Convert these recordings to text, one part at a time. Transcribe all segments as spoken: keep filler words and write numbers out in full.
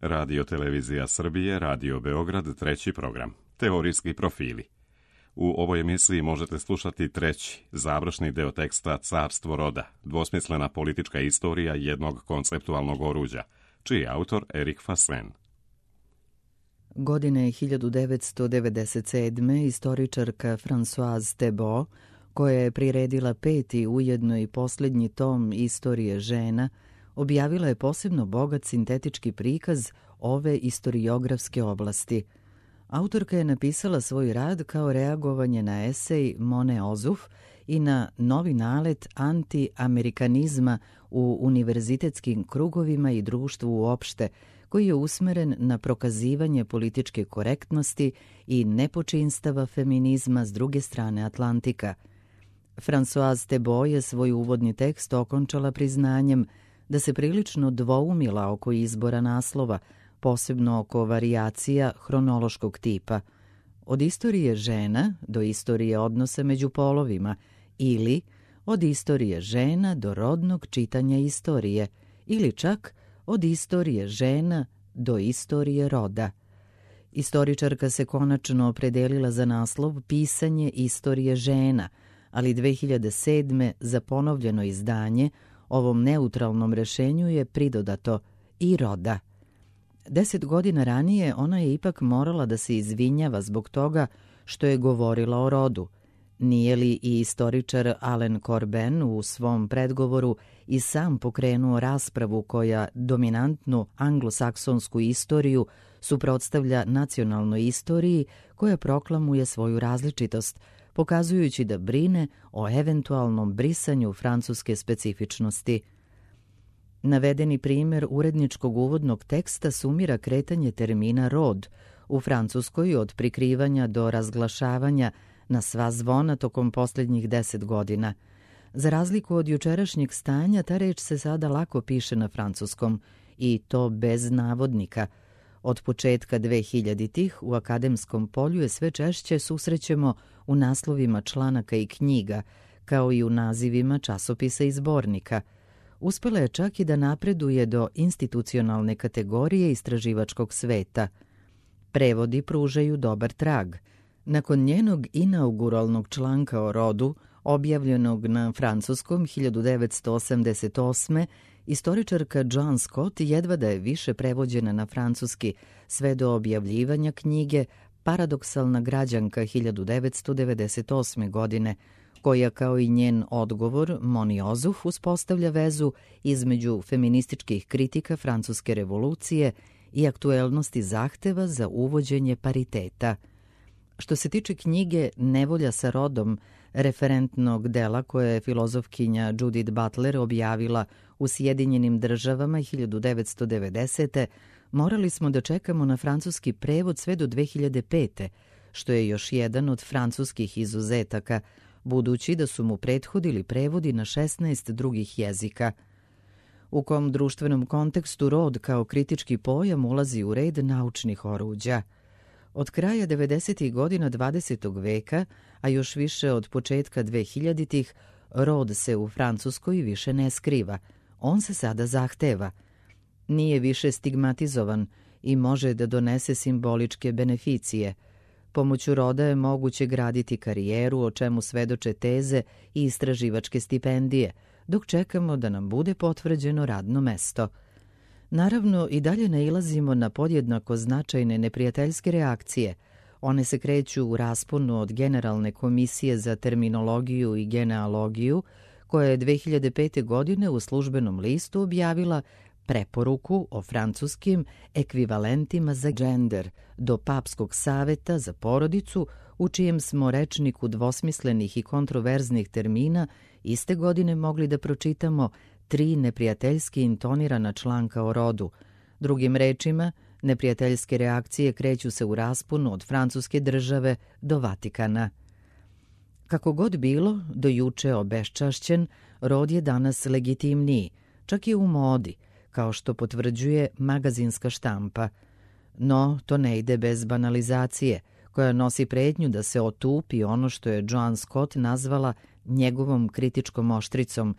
Radio Televizija Srbije, Radio Beograd, treći program. Teorijski profili. U ovoj emisiji možete slušati treći, završni deo teksta Carstvo roda, dvosmislena politička istorija jednog konceptualnog oruđa, čiji je autor Erik Fasen. Godine hiljadu devetsto devedeset sedme istoričarka Françoise Thébault, koja je priredila peti ujedno i posljednji tom Istorije žena, objavila je posebno bogat sintetički prikaz ove istoriografske oblasti. Autorka je napisala svoj rad kao reagovanje na esej Mone Ozuf i na novi nalet anti-amerikanizma u univerzitetskim krugovima i društvu uopšte, koji je usmeren na prokazivanje političke korektnosti i nepočinstava feminizma s druge strane Atlantika. Françoise Thébault je svoj uvodni tekst okončala priznanjem da se prilično dvoumila oko izbora naslova, posebno oko varijacija hronološkog tipa. Od istorije žena do istorije odnosa među polovima ili od istorije žena do rodnog čitanja istorije ili čak od istorije žena do istorije roda. Istoričarka se konačno opredelila za naslov Pisanje istorije žena, ali dve hiljade sedme za ponovljeno izdanje ovom neutralnom rešenju je pridodato i roda. Deset godina ranije ona je ipak morala da se izvinjava zbog toga što je govorila o rodu. Nije li i istoričar Alain Corbin u svom predgovoru i sam pokrenuo raspravu koja dominantnu anglosaksonsku istoriju suprotstavlja nacionalnoj istoriji koja proklamuje svoju različitost, pokazujući da brine o eventualnom brisanju francuske specifičnosti. Navedeni primjer uredničkog uvodnog teksta sumira kretanje termina rod u Francuskoj od prikrivanja do razglašavanja na sva zvona tokom posljednjih deset godina. Za razliku od jučerašnjeg stanja, ta reč se sada lako piše na francuskom, i to bez navodnika. Od početka dvehiljaditih u akademskom polju je sve češće susrećemo u naslovima članaka i knjiga, kao i u nazivima časopisa i zbornika. Uspela je čak i da napreduje do institucionalne kategorije istraživačkog sveta. Prevodi pružaju dobar trag. Nakon njenog inauguralnog članka o rodu, objavljenog na francuskom hiljadu devetsto osamdeset osme, istoričarka Joan Scott jedva da je više prevođena na francuski sve do objavljivanja knjige Paradoksalna građanka hiljadu devetsto devedeset osme godine, koja kao i njen odgovor Moni Ozuf uspostavlja vezu između feminističkih kritika francuske revolucije i aktuelnosti zahteva za uvođenje pariteta. Što se tiče knjige Nevolja sa rodom, referentnog dela koje je filozofkinja Judith Butler objavila u Sjedinjenim državama hiljadu devetsto devedesete. morali smo da čekamo na francuski prevod sve do dve hiljade pete. što je još jedan od francuskih izuzetaka, budući da su mu prethodili prevodi na šesnaest drugih jezika. U kom društvenom kontekstu rod kao kritički pojam ulazi u red naučnih oruđa. Od kraja devedesetih godina dvadesetog veka, a još više od početka dvehiljaditih, rod se u Francuskoj više ne skriva. On se sada zahteva. Nije više stigmatizovan i može da donese simboličke beneficije. Pomoću roda je moguće graditi karijeru, o čemu svedoče teze i istraživačke stipendije, dok čekamo da nam bude potvrđeno radno mesto. Naravno, i dalje nailazimo na podjednako značajne neprijateljske reakcije. One se kreću u rasponu od Generalne komisije za terminologiju i genealogiju, koja je dve hiljade pete. godine u službenom listu objavila preporuku o francuskim ekvivalentima za gender, do Papskog saveta za porodicu, u čijem smo rečniku dvosmislenih i kontroverznih termina iste godine mogli da pročitamo tri neprijateljski intonirana članka o rodu. Drugim rečima, neprijateljske reakcije kreću se u rasponu od francuske države do Vatikana. Kako god bilo, do juče obeščašćen, rod je danas legitimniji, čak i u modi, kao što potvrđuje magazinska štampa. No, to ne ide bez banalizacije, koja nosi pretnju da se otupi ono što je Joan Scott nazvala njegovom kritičkom oštricom,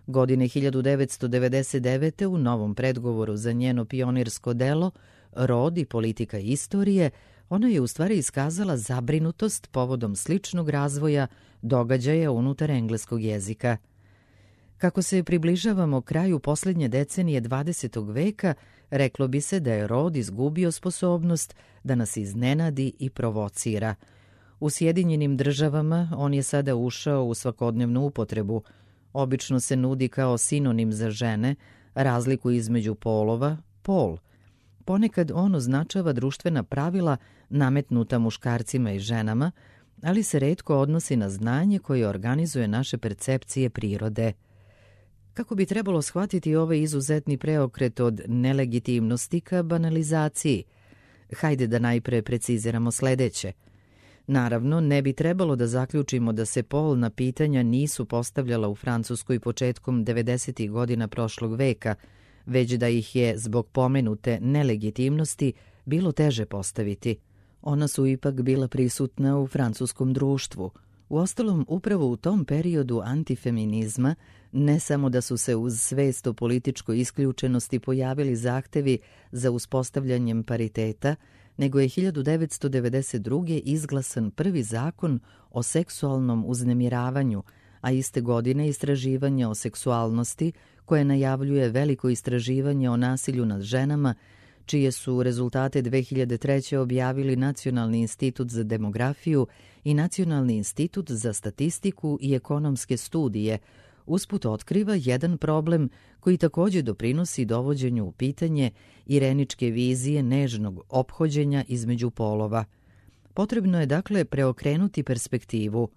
Godine hiljadu devetsto devedeset devete. u novom predgovoru za njeno pionirsko delo Rod i politika istorije, ona je u stvari iskazala zabrinutost povodom sličnog razvoja događaja unutar engleskog jezika. Kako se približavamo kraju posljednje decenije dvadesetog veka, reklo bi se da je Rod izgubio sposobnost da nas iznenadi i provocira. U Sjedinjenim državama on je sada ušao u svakodnevnu upotrebu. Obično se nudi kao sinonim za žene, razliku između polova, pol. Ponekad on označava društvena pravila nametnuta muškarcima i ženama, ali se retko odnosi na znanje koje organizuje naše percepcije prirode. Kako bi trebalo shvatiti ovaj izuzetni preokret od nelegitimnosti ka banalizaciji? Hajde da najpre preciziramo sledeće. Naravno, ne bi trebalo da zaključimo da se polna pitanja nisu postavljala u Francuskoj početkom devedesetih godina prošlog veka, već da ih je zbog pomenute nelegitimnosti bilo teže postaviti. Ona su ipak bila prisutna u francuskom društvu. Uostalom, upravo u tom periodu antifeminizma ne samo da su se uz svest o političkoj isključenosti pojavili zahtevi za uspostavljanjem pariteta, nego je hiljadu devetsto devedeset druge. izglasan prvi zakon o seksualnom uznemiravanju, a iste godine istraživanje o seksualnosti koje najavljuje veliko istraživanje o nasilju nad ženama, čije su rezultate dve hiljade treće. objavili Nacionalni institut za demografiju i Nacionalni institut za statistiku i ekonomske studije, usput otkriva jedan problem koji također doprinosi dovođenju u pitanje ireničke vizije nežnog ophođenja između polova. Potrebno je dakle preokrenuti perspektivu.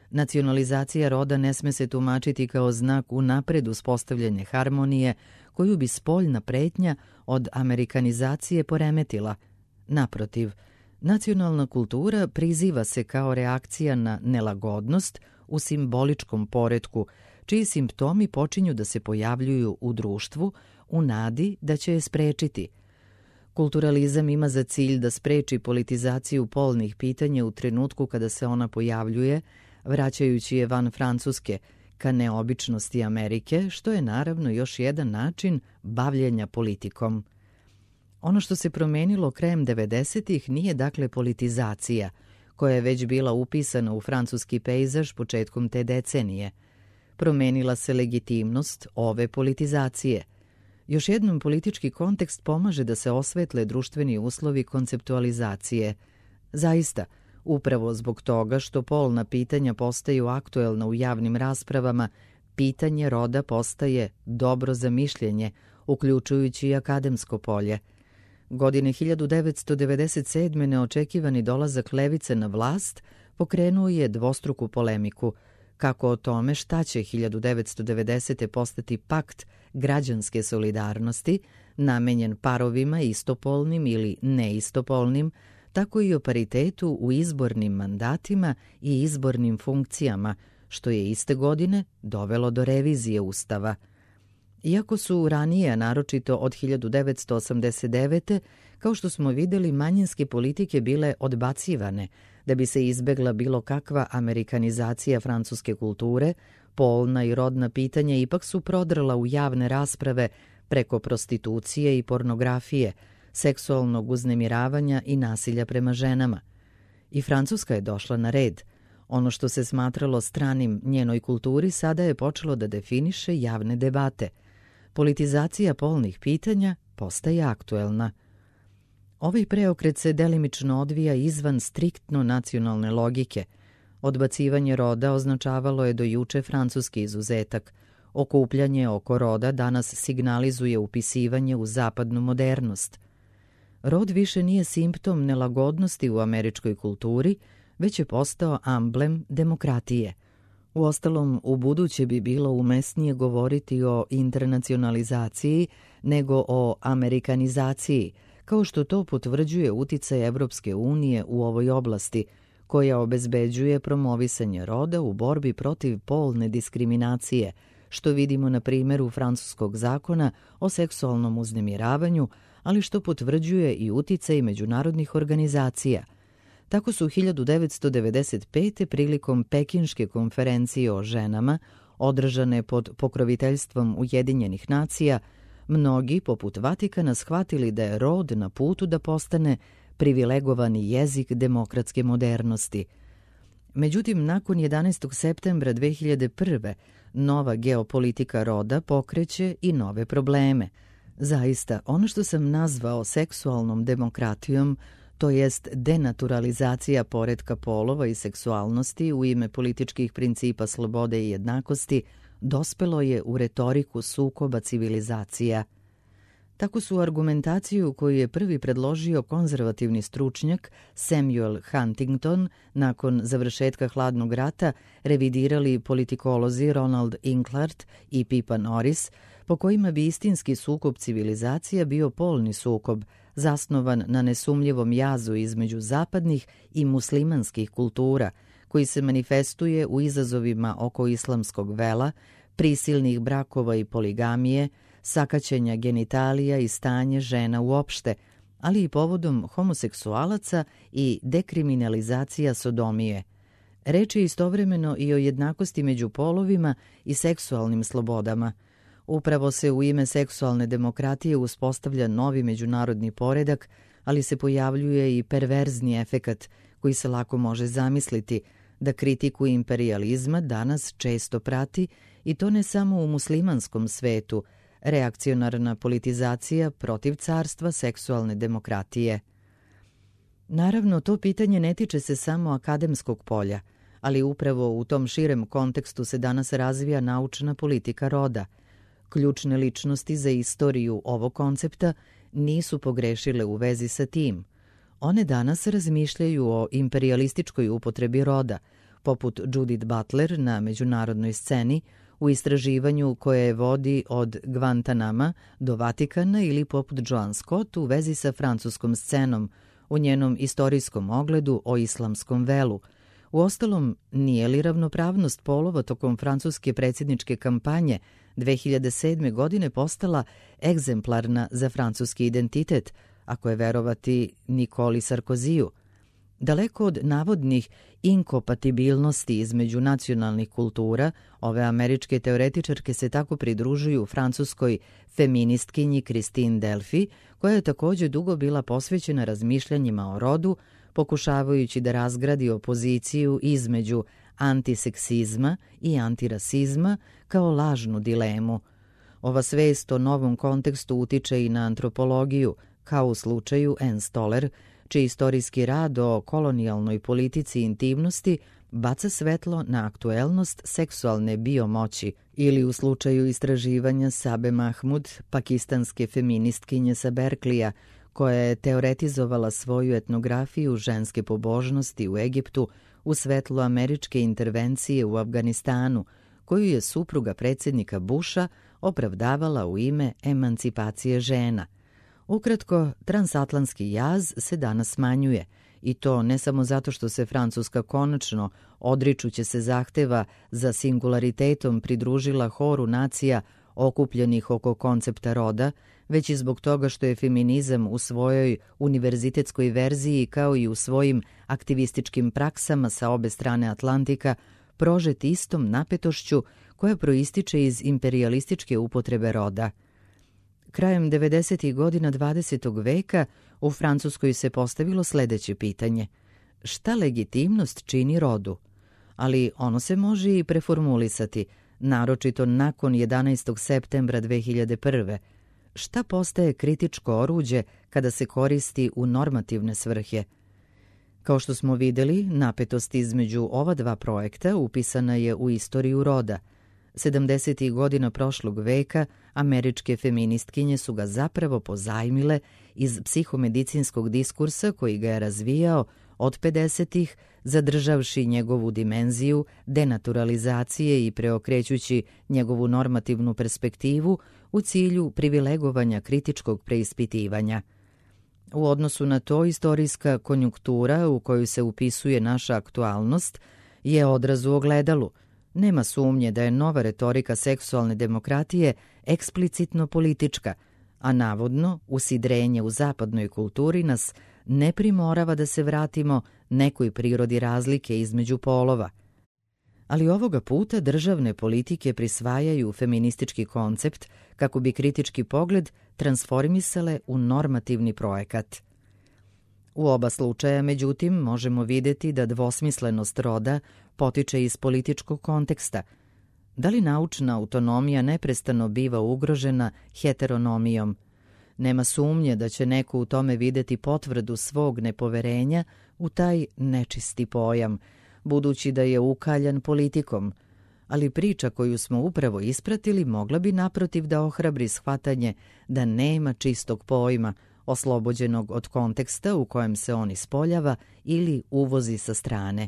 Nacionalizacija roda ne sme se tumačiti kao znak unapred uspostavljene harmonije koju bi spoljna pretnja od amerikanizacije poremetila. Naprotiv, nacionalna kultura priziva se kao reakcija na nelagodnost u simboličkom poretku, čiji simptomi počinju da se pojavljuju u društvu u nadi da će je sprečiti. Kulturalizam ima za cilj da spreči politizaciju polnih pitanja u trenutku kada se ona pojavljuje, vraćajući je van Francuske ka neobičnosti Amerike, što je naravno još jedan način bavljenja politikom. Ono što se promenilo krajem devedesetih nije dakle politizacija, koja je već bila upisana u francuski pejzaž početkom te decenije. Promenila se legitimnost ove politizacije. Još jednom politički kontekst pomaže da se osvetle društveni uslovi konceptualizacije. Zaista, upravo zbog toga što polna pitanja postaju aktuelna u javnim raspravama, pitanje roda postaje dobro za mišljenje, uključujući i akademsko polje. Godine hiljadu devetsto devedeset sedme. neočekivani dolazak levice na vlast pokrenuo je dvostruku polemiku, kako o tome šta će hiljadu devetsto devedesete. postati pakt građanske solidarnosti, namenjen parovima istopolnim ili neistopolnim, tako i o paritetu u izbornim mandatima i izbornim funkcijama, što je iste godine dovelo do revizije Ustava. Iako su ranije, naročito od hiljadu devetsto osamdeset devete. kao što smo vidjeli, manjinske politike bile odbacivane, da bi se izbegla bilo kakva amerikanizacija francuske kulture, polna i rodna pitanja ipak su prodrla u javne rasprave preko prostitucije i pornografije, seksualnog uznemiravanja i nasilja prema ženama. I Francuska je došla na red. Ono što se smatralo stranim njenoj kulturi sada je počelo da definiše javne debate. Politizacija polnih pitanja postaje aktuelna. Ovaj preokret se delimično odvija izvan striktno nacionalne logike. Odbacivanje roda označavalo je do juče francuski izuzetak. Okupljanje oko roda danas signalizuje upisivanje u zapadnu modernost. Rod više nije simptom nelagodnosti u američkoj kulturi, već je postao amblem demokratije. Uostalom, u buduće bi bilo umesnije govoriti o internacionalizaciji nego o amerikanizaciji, kao što to potvrđuje uticaj Evropske unije u ovoj oblasti, koja obezbeđuje promovisanje roda u borbi protiv polne diskriminacije, što vidimo na primjeru francuskog zakona o seksualnom uznemiravanju, ali što potvrđuje i uticaj međunarodnih organizacija. Tako su hiljadu devetsto devedeset pete. prilikom Pekinške konferencije o ženama održane pod pokroviteljstvom Ujedinjenih nacija, mnogi, poput Vatikana, shvatili da je rod na putu da postane privilegovani jezik demokratske modernosti. Međutim, nakon jedanaestog septembra dve hiljade prve. nova geopolitika roda pokreće i nove probleme. Zaista, ono što sam nazvao seksualnom demokratijom, to jest denaturalizacija poretka polova i seksualnosti u ime političkih principa slobode i jednakosti, dospelo je u retoriku sukoba civilizacija. Tako su argumentaciju koju je prvi predložio konzervativni stručnjak Samuel Huntington nakon završetka hladnog rata revidirali politikolozi Ronald Inglert i Pippa Norris, po kojima bi istinski sukob civilizacija bio polni sukob, zasnovan na nesumljivom jazu između zapadnih i muslimanskih kultura, koji se manifestuje u izazovima oko islamskog vela, prisilnih brakova i poligamije, sakaćenja genitalija i stanje žena uopšte, ali i povodom homoseksualaca i dekriminalizacija sodomije. Reč je istovremeno i o jednakosti među polovima i seksualnim slobodama. Upravo se u ime seksualne demokratije uspostavlja novi međunarodni poredak, ali se pojavljuje i perverzni efekat koji se lako može zamisliti, da kritiku imperijalizma danas često prati, i to ne samo u muslimanskom svetu, reakcionarna politizacija protiv carstva seksualne demokratije. Naravno, to pitanje ne tiče se samo akademskog polja, ali upravo u tom širem kontekstu se danas razvija naučna politika roda. Ključne ličnosti za istoriju ovog koncepta nisu pogrešile u vezi sa tim. One danas razmišljaju o imperijalističkoj upotrebi roda, poput Judith Butler na međunarodnoj sceni, u istraživanju koje vodi od Guantanama do Vatikana, ili poput Joan Scott u vezi sa francuskom scenom, u njenom istorijskom ogledu o islamskom velu. Uostalom, nije li ravnopravnost polova tokom francuske predsjedničke kampanje dve hiljade sedme. godine postala egzemplarna za francuski identitet, ako je verovati Nikoli Sarkoziju? Daleko od navodnih inkompatibilnosti između nacionalnih kultura, ove američke teoretičarke se tako pridružuju francuskoj feministkinji Christine Delphi, koja je također dugo bila posvećena razmišljanjima o rodu, pokušavajući da razgradi opoziciju između antiseksizma i antirasizma kao lažnu dilemu. Ova svest o novom kontekstu utiče i na antropologiju, kao u slučaju Anne Stoller, čiji istorijski rad o kolonijalnoj politici intimnosti baca svetlo na aktuelnost seksualne biomoći, ili u slučaju istraživanja Sabe Mahmud, pakistanske feministkinje sa Berklija, koja je teoretizovala svoju etnografiju ženske pobožnosti u Egiptu u svetlu američke intervencije u Afganistanu, koju je supruga predsjednika Busha opravdavala u ime emancipacije žena. Ukratko, transatlantski jaz se danas smanjuje, i to ne samo zato što se Francuska konačno, odričuće se zahteva za singularitetom, pridružila horu nacija okupljenih oko koncepta roda, već i zbog toga što je feminizam u svojoj univerzitetskoj verziji, kao i u svojim aktivističkim praksama sa obe strane Atlantika, prožet istom napetošću koja proističe iz imperijalističke upotrebe roda. Krajem devedesetih godina dvadesetog veka u Francuskoj se postavilo sledeće pitanje: šta legitimnost čini rodu? Ali ono se može i preformulisati, naročito nakon jedanaestog septembra dve hiljade prve. Šta postaje kritičko oruđe kada se koristi u normativne svrhe? Kao što smo videli, napetost između ova dva projekta upisana je u istoriju roda. sedamdesetih godina prošlog veka američke feministkinje su ga zapravo pozajmile iz psihomedicinskog diskursa koji ga je razvijao od pedesetih, zadržavši njegovu dimenziju denaturalizacije i preokrećući njegovu normativnu perspektivu u cilju privilegovanja kritičkog preispitivanja. U odnosu na to, istorijska konjunktura u koju se upisuje naša aktualnost je odraz u ogledalu. Nema sumnje da je nova retorika seksualne demokratije eksplicitno politička, a navodno usidrenje u zapadnoj kulturi nas ne primorava da se vratimo nekoj prirodi razlike između polova. Ali ovoga puta državne politike prisvajaju feministički koncept kako bi kritički pogled transformisale u normativni projekat. U oba slučaja, međutim, možemo vidjeti da dvosmislenost roda potiče iz političkog konteksta. Da li naučna autonomija neprestano biva ugrožena heteronomijom? Nema sumnje da će neko u tome vidjeti potvrdu svog nepoverenja u taj nečisti pojam, budući da je ukaljan politikom, ali priča koju smo upravo ispratili mogla bi naprotiv da ohrabri shvatanje da nema čistog pojma, oslobođenog od konteksta u kojem se on ispoljava ili uvozi sa strane.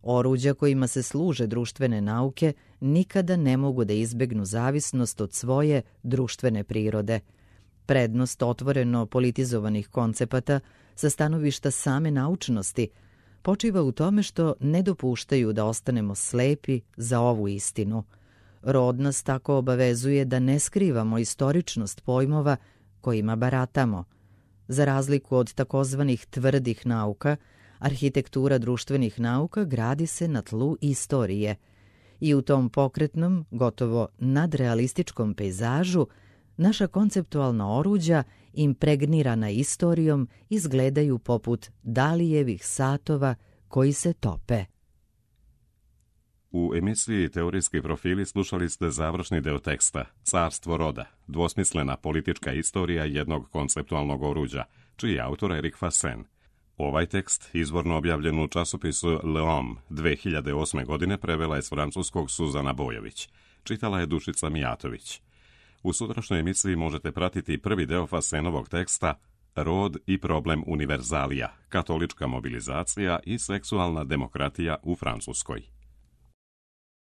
Oruđa kojima se služe društvene nauke nikada ne mogu da izbegnu zavisnost od svoje društvene prirode. Prednost otvoreno politizovanih koncepata sa stanovišta same naučnosti počiva u tome što ne dopuštaju da ostanemo slepi za ovu istinu. Rod nas tako obavezuje da ne skrivamo istoričnost pojmova kojima baratamo. Za razliku od takozvanih tvrdih nauka, arhitektura društvenih nauka gradi se na tlu istorije i u tom pokretnom, gotovo nadrealističkom pejzažu naša konceptualna oruđa, impregnirana istorijom, izgledaju poput Dalijevih satova koji se tope. U emisiji Teorijski profili slušali ste završni deo teksta Carstvo roda, dvosmislena politička istorija jednog konceptualnog oruđa, čiji je autor Erik Fasen. Ovaj tekst, izvorno objavljen u časopisu Le Homme dve hiljade osme. godine, prevela je s francuskog Suzana Bojović. Čitala je Dušica Mijatović. U sutrašnjoj emisiji možete pratiti prvi deo Fasenovog teksta Rod i problem univerzalija, katolička mobilizacija i seksualna demokratija u Francuskoj.